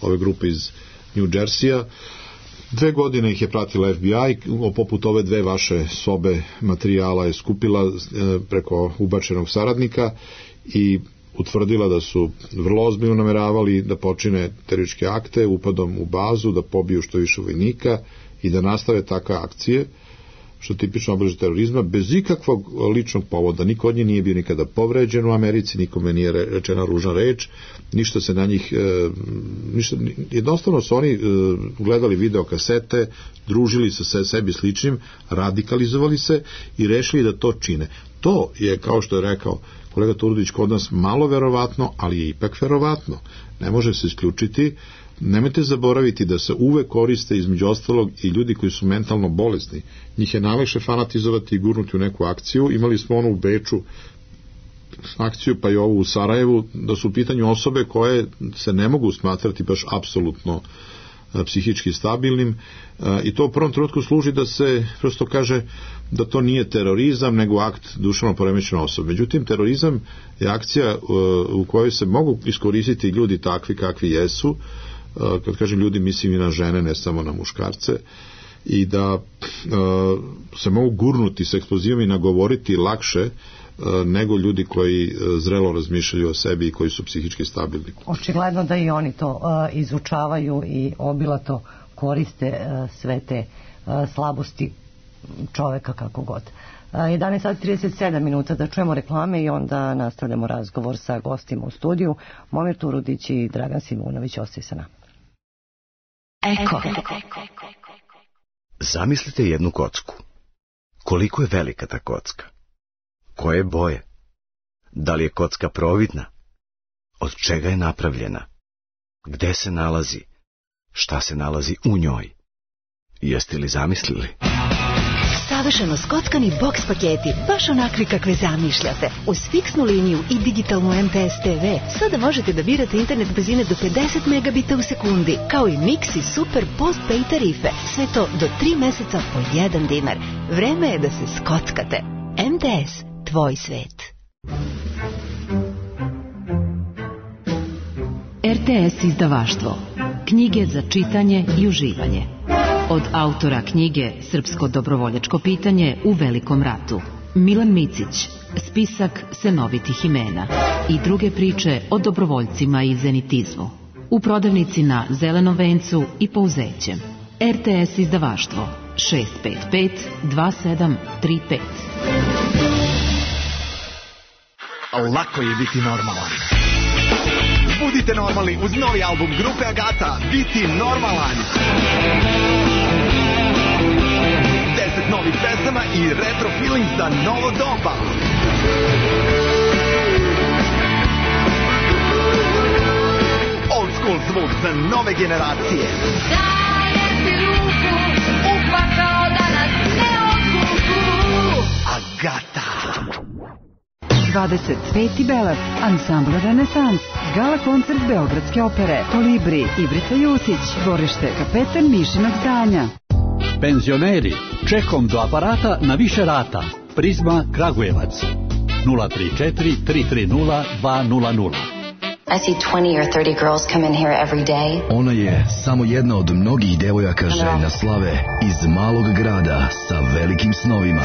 ove grupe iz New Jerseya. 2 godine ih je pratila FBI, poput ove 2 vaše sobe materijala je skupila preko ubačenog saradnika i utvrdila da su vrlo ozbiljno nameravali da počine terorističke akte upadom u bazu, da pobiju što više vojnika i da nastave takve akcije, što je tipično obliže terorizma, bez ikakvog ličnog povoda. Niko od njih nije bio nikada povređen u Americi, nikome nije rečena ružna reč, ništa se na njih, jednostavno su oni gledali videokasete, družili se sa sebi sličnim, radikalizovali se i rešili da to čine. To je, kao što je rekao kolega Turudić, kod nas malo verovatno, ali je ipak verovatno. Ne može se isključiti. Nemojte zaboraviti da se uvek koriste između ostalog i ljudi koji su mentalno bolesni. Njih je najlakše fanatizovati i gurnuti u neku akciju. Imali smo onu u Beču akciju, pa i ovu u Sarajevu, da su u pitanju osobe koje se ne mogu smatrati baš apsolutno psihički stabilnim, i to u prvom trenutku služi da se prosto kaže da to nije terorizam, nego akt duševno poremećene osobe. Međutim, terorizam je akcija u kojoj se mogu iskoristiti ljudi takvi kakvi jesu, kad kažem ljudi, mislim i na žene, ne samo na muškarce, i da se mogu gurnuti s eksplozivom i nagovoriti lakše nego ljudi koji zrelo razmišljaju o sebi i koji su psihički stabilni. Očigledno da i oni to izučavaju i obilato koriste sve te slabosti čoveka kako god. 11:37 da čujemo reklame i onda nastavljamo razgovor sa gostima u studiju. Momir Turudić i Dragan Simunović ostaju sa nama. Eko. Zamislite jednu kocku. Koliko je velika ta kocka? Koje boje? Da li je kocka providna? Od čega je napravljena? Gde se nalazi? Šta se nalazi u njoj? Jeste li zamislili? Savršeno skockani boks paketi, baš onakvi kakve zamišljate. Uz fiksnu liniju i digitalnu MTS TV sada možete da birate internet brzine do 50 megabita u sekundi, kao i Mix i Super Postpay tarife. Sve to do 3 meseca po 1 dinar. Vreme je da se skockate. MTS, tvoj svet. RTS izdavaštvo. Knjige za čitanje i uživanje. Od autora knjige Srpsko dobrovoljačko pitanje u Velikom ratu, Milan Micić, spisak senovitih imena i druge priče o dobrovoljcima i zenitizmu. U prodavnici na Zelenom vencu i Pouzećem. RTS izdavaštvo 655 2735. Lako je biti normalan. Budite normalni uz novi album grupe Agata, Biti normalan. 10 novih pesama i retro feeling za novo doba. Old school zvuk za nove generacije. Dajem ti ruku, upakao da nas ne odvuku. Agata. 25. Belac, ansambl Renesans, gala koncert Beogradske opere, Kolibri, Ibrica Jusić, dvorište Kapetan Mišinog zdanja. Penzioneri, čekom do aparata na više rata. Prizma Kragujevac 034 330 200. I see 20 or 30 girls come in here every day. Ona je samo jedna od mnogih devojaka željna slave iz malog grada sa velikim snovima.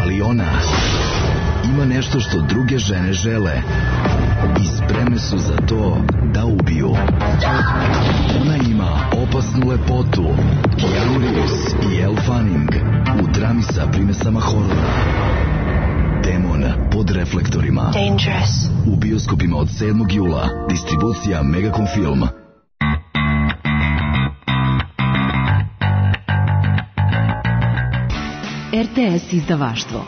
Ali ona ima nešto što druge žene žele i spremne su za to da ubiju. Ona ima opasnu lepotu, Keanu Reeves i Elle Fanning u drami sa primesama horora. Demon pod reflektorima. Dangerous. U bioskopima od 7. jula. Distribucija Megacom Film. RTS izdavaštvo.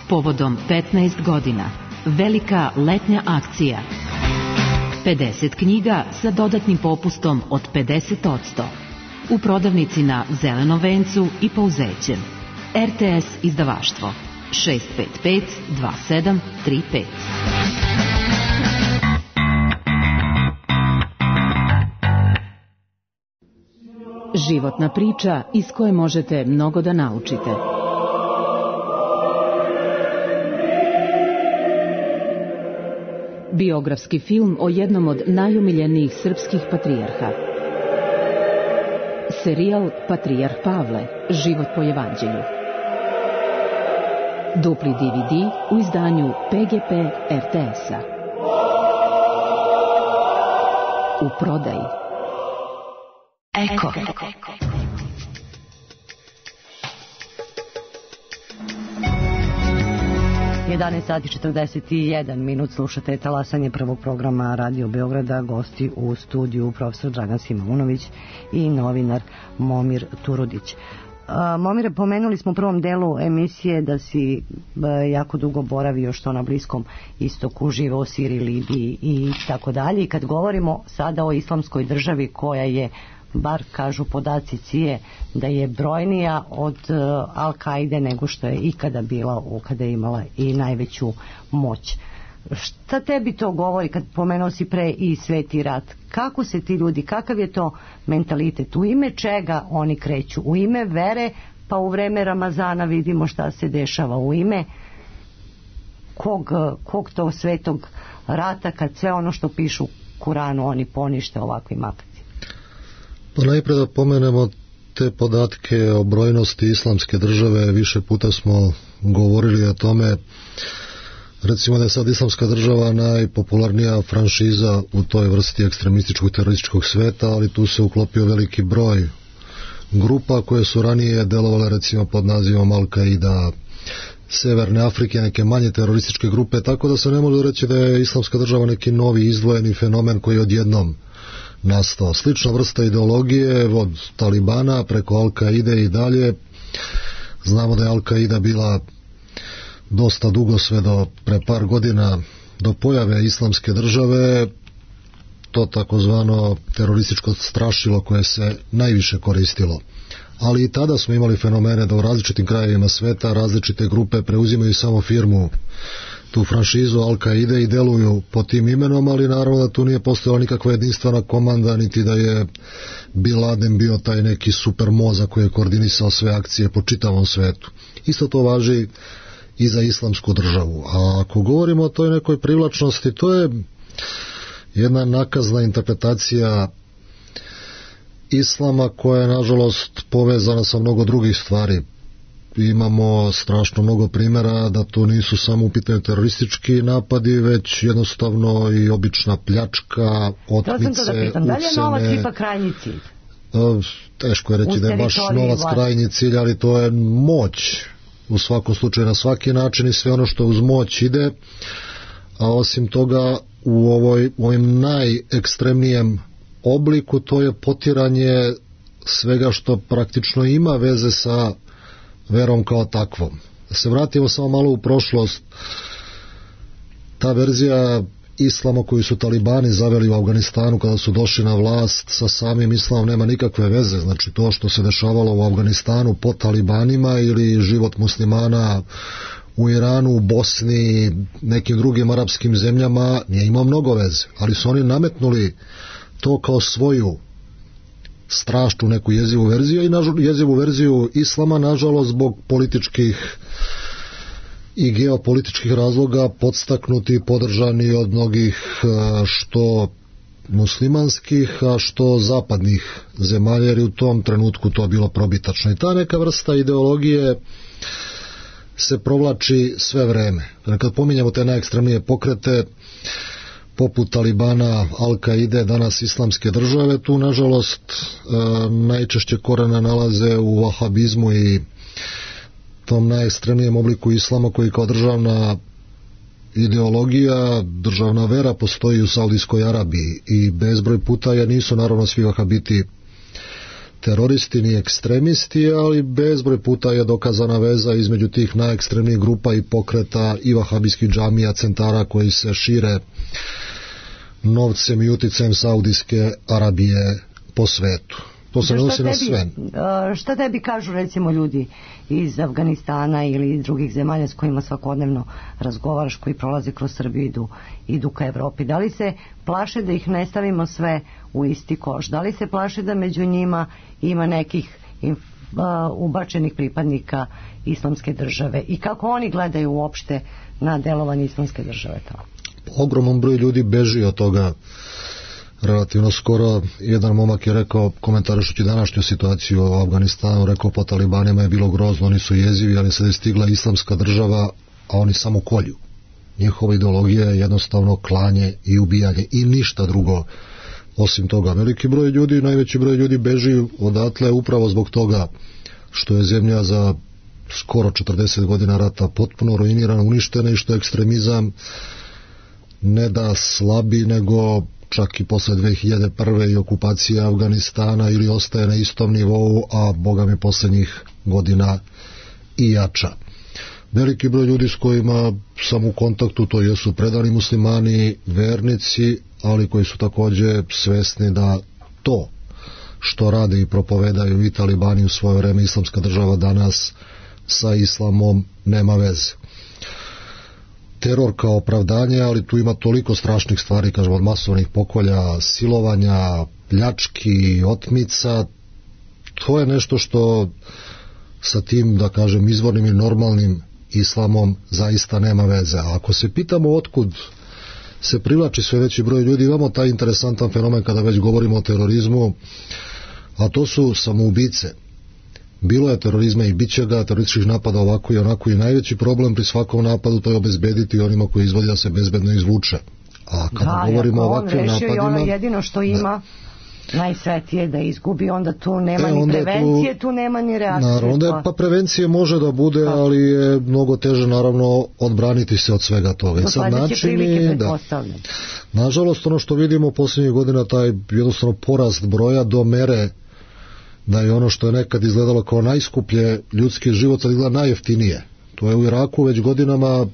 Povodom 15 godina. Velika letnja akcija. 50 knjiga sa dodatnim popustom od 50%. U prodavnici na Zelenom vencu i Pouzećem. RTS izdavaštvo 655 2735. Životna priča iz koje možete mnogo da naučite. Biografski film o jednom od najumiljenijih srpskih patrijarha. Serijal Patrijarh Pavle, život po evanđelju. Dupli DVD u izdanju PGP RTS-a. U prodaji. Eko. 11 sati 41 minut, slušate talasanje prvog programa Radio Beograda, gosti u studiju profesor Dragan Simeunović i novinar Momir Turudić. Momire, pomenuli smo u prvom delu emisije da si jako dugo boravio što na Bliskom istoku, živeo u Siriji, Libiji i tako dalje. I kad govorimo sada o islamskoj državi koja je, bar kažu podaci CIA, da je brojnija od Al-Kaide nego što je ikada bila, kada je imala i najveću moć. Šta tebi to govori kad pomenuo si pre i Sveti rat? Kako se ti ljudi, kakav je to mentalitet? U ime čega oni kreću? U ime vere, pa u vreme Ramazana vidimo šta se dešava. U ime kog to svetog rata kad sve ono što pišu u Kuranu oni ponište ovakvim akcijama? Pa najprej da pomenemo te podatke o brojnosti islamske države. Više puta smo govorili o tome. Recimo da je sad islamska država najpopularnija franšiza u toj vrsti ekstremističkog terorističkog sveta, ali tu se uklopio veliki broj grupa koje su ranije delovale recimo pod nazivom Al-Kaida, Severne Afrike, neke manje terorističke grupe, tako da se ne može reći da je islamska država neki novi izdvojeni fenomen koji je odjednom nastao. Slična vrsta ideologije od Talibana preko Al-Kaide i dalje. Znamo da je Al-Kaida bila dosta dugo, sve do pre par godina, do pojave islamske države, to takozvano terorističko strašilo koje se najviše koristilo. ali i tada smo imali fenomene da u različitim krajevima sveta različite grupe preuzimaju samo firmu, tu franšizu Al-Qaide i deluju pod tim imenom, ali naravno da tu nije postojala nikakva jedinstvena komanda, niti da je Bin Laden bio taj neki super mozak koji je koordinisao sve akcije po čitavom svetu. Isto to važi i za islamsku državu. A ako govorimo o toj nekoj privlačnosti, to je jedna nakazna interpretacija islama koja je nažalost povezana sa mnogo drugih stvari. Imamo strašno mnogo primjera da to nisu samo u pitanju teroristički napadi, već jednostavno i obična pljačka, otmice, ucene. Da li je novac ipak krajnji cilj? Teško je reći da je baš novac krajnji cilj, ali to je moć u svakom slučaju na svaki način i sve ono što uz moć ide, a osim toga u ovim najekstremnijem obliku to je potiranje svega što praktično ima veze sa verom kao takvom. Da se vratimo samo malo u prošlost, ta verzija islama koju su talibani zaveli u Afganistanu kada su došli na vlast sa samim islamom nema nikakve veze. Znači to što se dešavalo u Afganistanu pod talibanima ili život muslimana u Iranu, u Bosni, nekim drugim arapskim zemljama nije imao mnogo veze, ali su oni nametnuli to kao svoju strašnu neku jezivu verziju i jezivu verziju islama, nažalost zbog političkih i geopolitičkih razloga podstaknuti i podržani od mnogih što muslimanskih, a što zapadnih zemalja, jer u tom trenutku to bilo probitačno. I ta neka vrsta ideologije se provlači sve vreme. Kad pominjamo te najekstremnije pokrete poput Talibana, Al-Qaide, danas islamske države, tu nažalost najčešće korena nalaze u vahabizmu i tom najekstremnijem obliku islama koji kao državna ideologija, državna vera postoji u Saudijskoj Arabiji i bezbroj puta jer nisu naravno svi vahabiti teroristi ni ekstremisti, ali bezbroj puta je dokazana veza između tih najekstremnijih grupa i pokreta i vahabijskih džamija, centara koji se šire novcem i uticajem Saudijske Arabije po svetu. To se odnosi na sve. Šta tebi kažu recimo ljudi iz Afganistana ili iz drugih zemalja s kojima svakodnevno razgovaraš, koji prolaze kroz Srbiju, idu ka Evropi? Da li se plaše da ih ne stavimo sve u isti koš? Da li se plaše da među njima ima nekih ubačenih pripadnika islamske države? I kako oni gledaju uopšte na delovanje islamske države tamo? Ogroman broj ljudi beži od toga. Relativno skoro jedan momak je rekao, komentarišući današnju situaciju u Afganistanu, rekao po talibanima je bilo grozno, oni su jezivi, ali sad je stigla islamska država, a oni samo kolju. Njihova ideologija je jednostavno klanje i ubijanje i ništa drugo osim toga. Veliki broj ljudi, najveći broj ljudi beži odatle upravo zbog toga što je zemlja za skoro 40 godina rata potpuno ruinirana, uništena i što je ekstremizam ne da slabi, nego čak i posle 2001. i okupacija Afganistana ili ostaje na istom nivou, a boga mi posljednjih godina i jača. Veliki broj ljudi s kojima sam u kontaktu, to jesu predani muslimani, vernici, ali koji su također svesni da to što rade i propovedaju i talibani u svoje vreme, islamska država danas, sa islamom nema veze. Teror kao opravdanje, ali tu ima toliko strašnih stvari, kažem, od masovnih pokolja, silovanja, pljački, otmica. To je nešto što sa tim, da kažem, izvornim i normalnim islamom zaista nema veze. A ako se pitamo otkud se privlači sve veći broj ljudi, imamo taj interesantan fenomen kada već govorimo o terorizmu, a to su samoubice. Bilo je terorizma i bit će ga, terorističkih napada ovako i onako, i najveći problem pri svakom napadu to je obezbediti onima koji izvodi da se bezbedno izvuče. A kada govorimo o ovakvim napadima... Ono jedino što ima najsvetije da izgubi, onda tu nema ni prevencije, tu nema ni reakcije. Naravno, onda pa prevencije može da bude, ali je mnogo teže naravno odbraniti se od svega toga. Do sledeće prilike pretpostavljam. Nažalost, ono što vidimo posljednjih godina, taj jednostavno porast broja do mere da je ono što je nekad izgledalo kao najskuplje ljudski život sad izgleda najjeftinije. To je u Iraku već godinama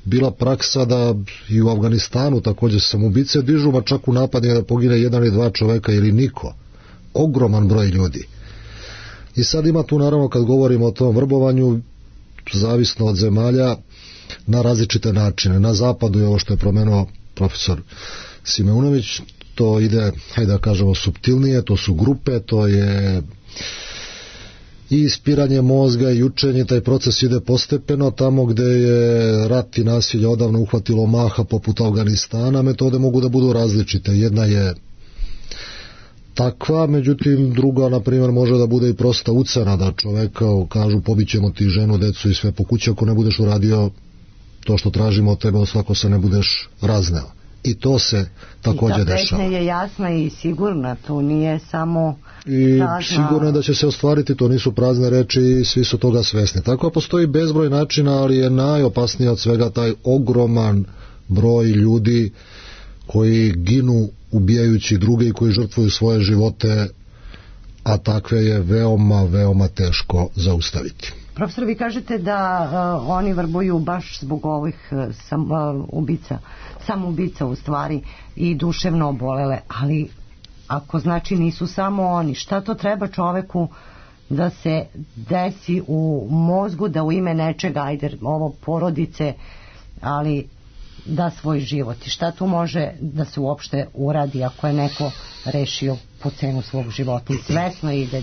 bila praksa da i u Afganistanu također samoubice dižu, ma čak u napadima da pogine jedan ili dva čoveka ili niko. Ogroman broj ljudi. I sad ima tu naravno kad govorimo o tom vrbovanju, zavisno od zemalja, na različite načine. Na zapadu je ovo što je promenuo profesor Simeunović, to ide, hajde da kažemo, suptilnije, to su grupe, to je i ispiranje mozga i učenje, taj proces ide postepeno. Tamo gde je rat i nasilje odavno uhvatilo maha, poput Afganistana, metode mogu da budu različite. Jedna je takva, međutim druga, na primjer, može da bude i prosta ucena, da čoveka kažu pobićemo ti ženu, decu i sve po kući ako ne budeš uradio to što tražimo od tebe, svako se ne budeš razneo. I to se također dešava. I ta pretnja je jasna i sigurna, to nije samo i prazna... sigurno je da će se ostvariti, to nisu prazne reči i svi su toga svesni. Tako postoji bezbroj načina, ali je najopasnije od svega taj ogroman broj ljudi koji ginu ubijajući druge i koji žrtvuju svoje živote, a takve je veoma, veoma teško zaustaviti. Profesor, vi kažete da oni vrbuju baš zbog ovih samoubica u stvari i duševno obolele, ali ako znači nisu samo oni, šta to treba čoveku da se desi u mozgu da u ime nečega, ajde ovo porodice, ali da svoj život, i šta tu može da se uopšte uradi ako je neko rešio po cenu svog života i svesno ide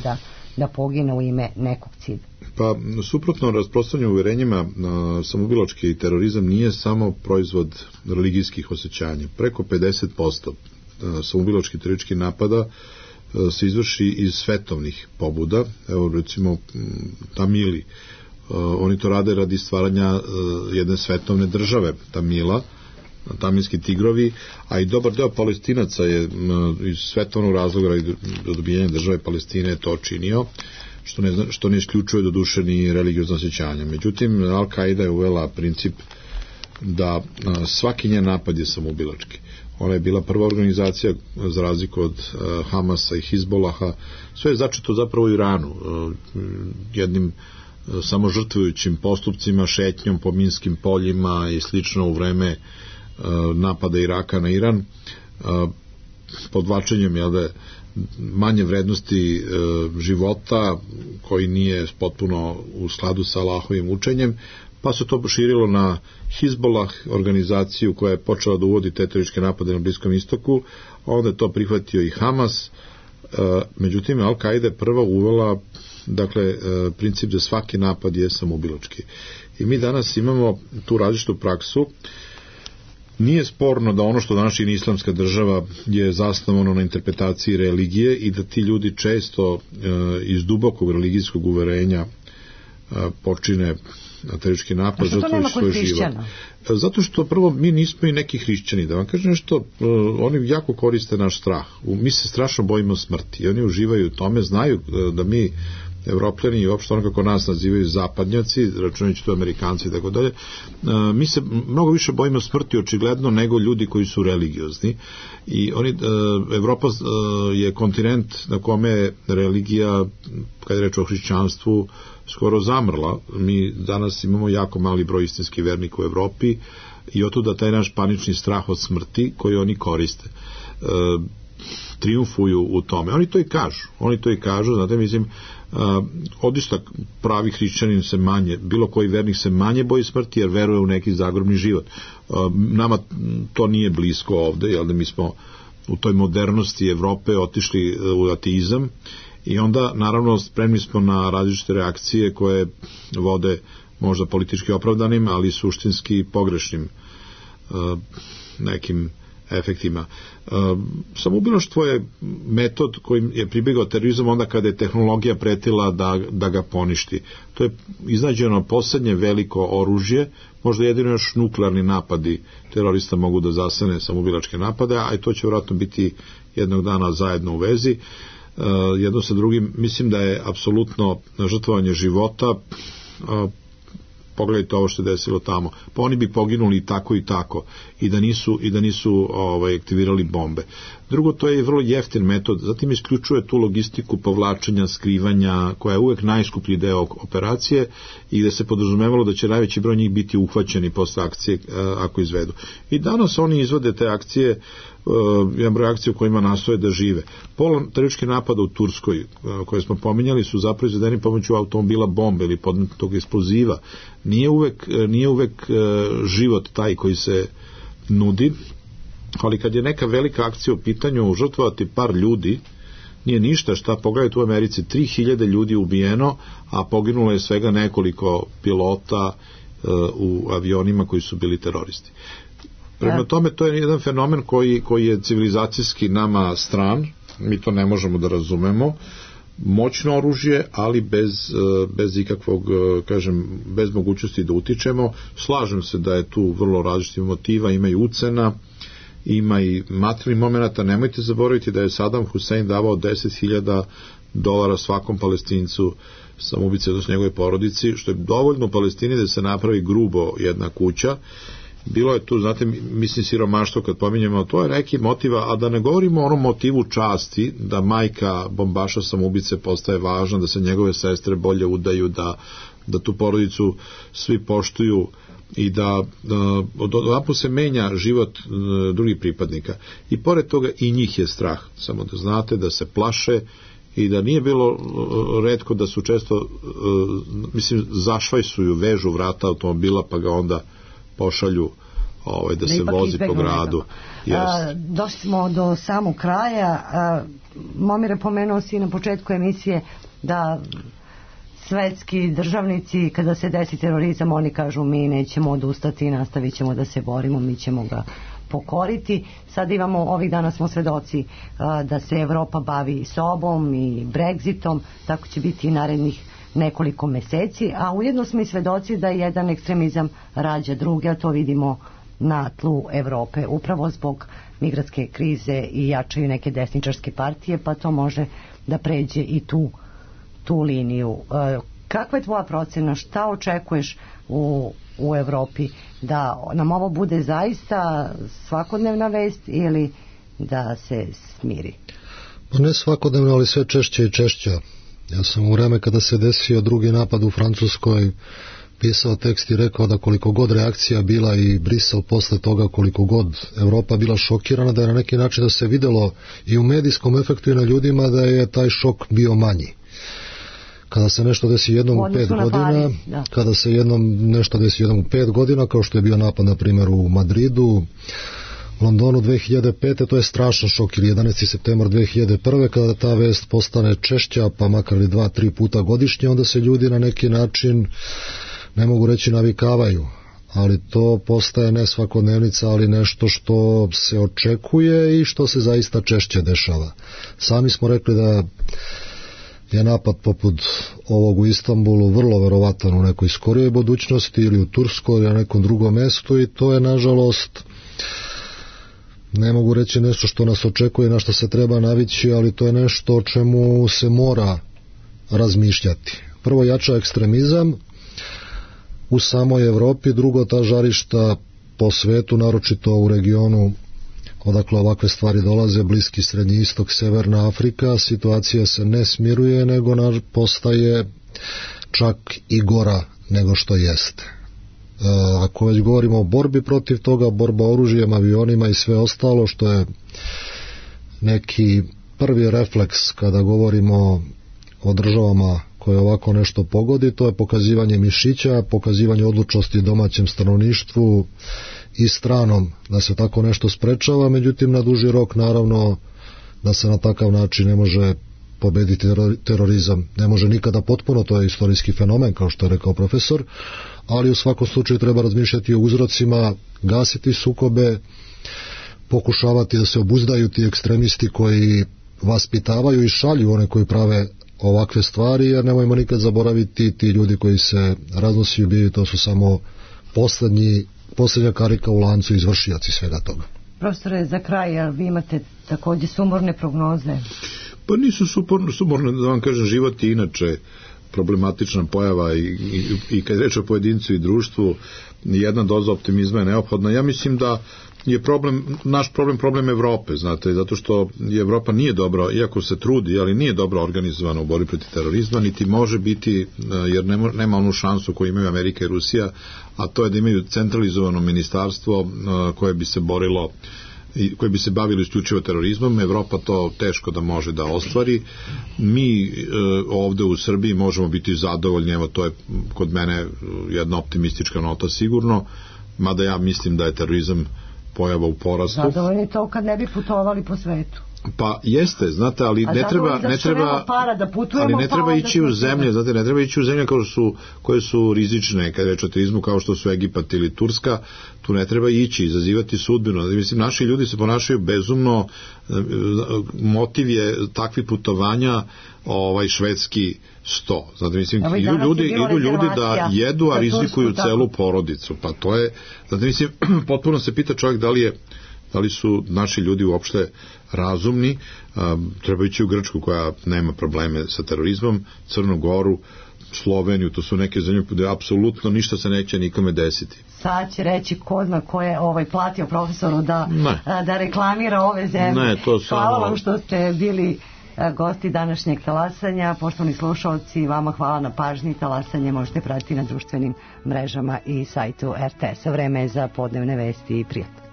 da pogine u ime nekog cilja? Pa, suprotno rasprostranjenim uverenjima, samoubilački terorizam nije samo proizvod religijskih osjećanja. Preko 50% samoubilačkih terorističkih napada se izvrši iz svetovnih pobuda. Evo, recimo, Tamili, oni to rade radi stvaranja jedne svetovne države, Tamila, tamilski tigrovi, a i dobar deo Palestinaca je iz svetovnog razloga i do dobijanja države Palestine to činio, što ne isključuje do duše ni religiozno osjećanja. Međutim, Al-Qaida je uvela princip da svaki njen napad je samoubilački. Ona je bila prva organizacija, za razliku od Hamasa i Hizbolaha. Sve je začeto zapravo u Iranu, jednim samo žrtvujućim postupcima, šetnjom po minskim poljima i slično u vreme napada Iraka na Iran, podvlačenjem manje vrednosti života koji nije potpuno u skladu sa Allahovim učenjem, pa se to proširilo na Hizbolah, organizaciju koja je počela da uvodi terorističke napade na Bliskom istoku, a onda je to prihvatio i Hamas. Međutim, Al-Qaida je prva uvela princip da svaki napad je samoubilački. I mi danas imamo tu različitu praksu. Nije sporno da ono što danas čini Islamska država je zasnovano na interpretaciji religije i da ti ljudi često iz dubokog religijskog uverenja počine teroristički napad, žrtvujući svoj život. Zato što prvo mi nismo i neki hrišćani. Da vam kažem nešto, oni jako koriste naš strah. Mi se strašno bojimo smrti i oni uživaju u tome, znaju da mi Evropljani i uopšte ono kako nas nazivaju zapadnjaci, računajući to Amerikanci i tako dalje, mi se mnogo više bojimo smrti očigledno nego ljudi koji su religiozni. I Evropa je kontinent na kome je religija, kada je reč o hrišćanstvu, skoro zamrla. Mi danas imamo jako mali broj istinskih vernika u Evropi i otuda taj naš panični strah od smrti koji oni koriste. Triumfuju u tome. Oni to i kažu, znate, mislim, odista pravi hrišćanin se manje, bilo koji vernik se manje boji smrti jer veruje u neki zagrobni život. Nama to nije blisko ovde, jer da mi smo u toj modernosti Evrope otišli u ateizam i onda naravno spremni smo na različite reakcije koje vode možda politički opravdanim, ali suštinski pogrešnim nekim efektima. Samoubilaštvo je metod kojim je pribegao terorizam onda kada je tehnologija pretila da ga poništi. To je iznađeno poslednje veliko oružje, možda jedino još nuklearni napadi terorista mogu da zasene samoubilačke napade, a i to će vjerojatno biti jednog dana zajedno u vezi. Jedno sa drugim, mislim da je apsolutno žrtvovanje života pogledajte ovo što je desilo tamo, pa oni bi poginuli i tako i da nisu aktivirali bombe. Drugo, to je vrlo jeftin metod, zatim isključuje tu logistiku povlačenja, skrivanja, koja je uvek najskuplji deo operacije i gde se podrazumevalo da će najveći broj njih biti uhvaćeni posle akcije ako izvedu. I danas oni izvode te akcije, jedan broj akcija u kojima nastoje da žive. Pola terorističkih napada u Turskoj, koje smo pominjali, su zapravo izvedeni pomoću automobila bombe ili podmetnutog eksploziva. Nije uvek život taj koji se nudi, ali kad je neka velika akcija u pitanju, žrtvovati par ljudi nije ništa. Šta, pogledajte u Americi, 3000 ljudi ubijeno, a poginulo je svega nekoliko pilota u avionima koji su bili teroristi. Prema tome, to je jedan fenomen koji je civilizacijski nama stran, mi to ne možemo da razumemo, moćno oružje, ali bez ikakvog, bez mogućnosti da utičemo. Slažem se da je tu vrlo različitih motiva, ima i ucena, ima i materijalnih momenata. Nemojte zaboraviti da je Saddam Hussein davao $10.000 svakom Palestincu, samoubice, odnosno njegove porodici, što je dovoljno u Palestini da se napravi grubo jedna kuća. Bilo je tu, znate, mislim, siromaštvo kad pominjemo, to je neki motiva, a da ne govorimo o onom motivu časti, da majka bombaša samoubice postaje važna, da se njegove sestre bolje udaju, da tu porodicu svi poštuju i da odaput se menja život drugih pripadnika. I pored toga i njih je strah, samo da znate, da se plaše i da nije bilo retko da su često, zašvajsuju, vežu vrata automobila pa ga onda pošalju da se vozi po gradu. Došli smo do samog kraja. Momire, pomenuo si na početku emisije da svetski državnici, kada se desi terorizam, oni kažu mi nećemo odustati, nastavit ćemo da se borimo, mi ćemo ga pokoriti. Sad imamo, ovih dana smo svedoci da se Evropa bavi sobom i Brexitom, tako će biti i narednih nekoliko meseci, a ujedno smo i svedoci da jedan ekstremizam rađa druge, a to vidimo na tlu Evrope, upravo zbog migratske krize i jačaju neke desničarske partije, pa to može da pređe i tu liniju. Kakva je tvoja procena? Šta očekuješ u Evropi? Da nam ovo bude zaista svakodnevna vest ili da se smiri? Pa ne svakodnevno, ali sve češće i češće. Ja sam u vreme kada se desio drugi napad u Francuskoj pisao tekst i rekao da koliko god reakcija bila i Brisel posle toga, koliko god Evropa bila šokirana, da je na neki način da se videlo i u medijskom efektu i na ljudima da je taj šok bio manji. Kada se nešto desi jednom u 5 godina, kada se nešto desi jednom u 5 godina, kao što je bio napad na primjer u Madridu, Londonu 2005. to je strašan šok, ili 11. septembar 2001. kada ta vest postane češća, pa makar i 2-3 puta godišnje, onda se ljudi na neki način, ne mogu reći navikavaju, ali to postaje ne svakodnevnica, ali nešto što se očekuje i što se zaista češće dešava. Sami smo rekli da je napad poput ovog u Istanbulu vrlo verovatan u nekoj skorijoj budućnosti ili u Turskoj ili na nekom drugom mestu i to je nažalost, ne mogu reći nešto što nas očekuje, na što se treba navići, ali to je nešto o čemu se mora razmišljati. Prvo, jača ekstremizam u samoj Evropi, drugo, ta žarišta po svetu, naročito u regionu odakle ovakve stvari dolaze, Bliski, Srednji istok, Severna Afrika, situacija se ne smiruje, nego postaje čak i gora nego što jeste. Ako već govorimo o borbi protiv toga, borba oružjem, avionima i sve ostalo, što je neki prvi refleks kada govorimo o državama koje ovako nešto pogodi, to je pokazivanje mišića, pokazivanje odlučnosti domaćem stanovništvu i stranom da se tako nešto sprečava, međutim na duži rok naravno da se na takav način ne može pobediti terorizam. Ne može nikada potpuno, to je istorijski fenomen kao što je rekao profesor, ali u svakom slučaju treba razmišljati o uzrocima, gasiti sukobe, pokušavati da se obuzdaju ti ekstremisti koji vaspitavaju i šalju one koji prave ovakve stvari, jer nemojmo nikad zaboraviti ti ljudi koji se raznosi i ubijaju, to su samo posljednja karika u lancu, izvršioci svega toga. Profesore, za kraj, vi imate također sumorne prognoze? Pa nisu sumorne, da vam kažem, život je inače problematična pojava i kad je reč o pojedincu i društvu, jedna doza optimizma je neophodna. Ja mislim da je naš problem Evrope, znate, zato što Evropa nije dobro, iako se trudi, ali nije dobro organizovana u borbi protiv terorizma, niti može biti, jer nema onu šansu koju imaju Amerika i Rusija, a to je da imaju centralizovano ministarstvo koje bi se borilo i koji bi se bavili isključivo terorizmom. Evropa to teško da može da ostvari. Mi ovde u Srbiji možemo biti zadovoljni, evo to je kod mene jedna optimistička nota sigurno, mada ja mislim da je terorizam pojava u porastu. Zadovoljni to kad ne bi putovali po svetu. Pa jeste, znate, ali ne treba ići u zemlje, znate, ne treba ići u zemlje koje su rizične kad je reč o terorizmu, kao što su Egipat ili Turska, tu ne treba ići, izazivati sudbinu. Mislim, naši ljudi se ponašaju bezumno, motiv je takvih putovanja švedski 100. Znate, mislim, idu ljudi da jedu, a rizikuju celu porodicu. Pa to je, znate, mislim, potpuno se pita čovjek da li su naši ljudi uopšte razumni. Treba ići u Grčku koja nema probleme sa terorizmom, Crnu Goru, Sloveniju, to su neke zemlje gde apsolutno ništa se neće nikome desiti. Sad će reći ko zna ko je platio profesoru da reklamira ove zemlje. Hvala vam što ste bili gosti današnjeg talasanja. Poštovani slušalci, vama hvala na pažnji. Talasanje možete pratiti na društvenim mrežama i sajtu RTS-a. Vreme je za podnevne vesti i prijatno.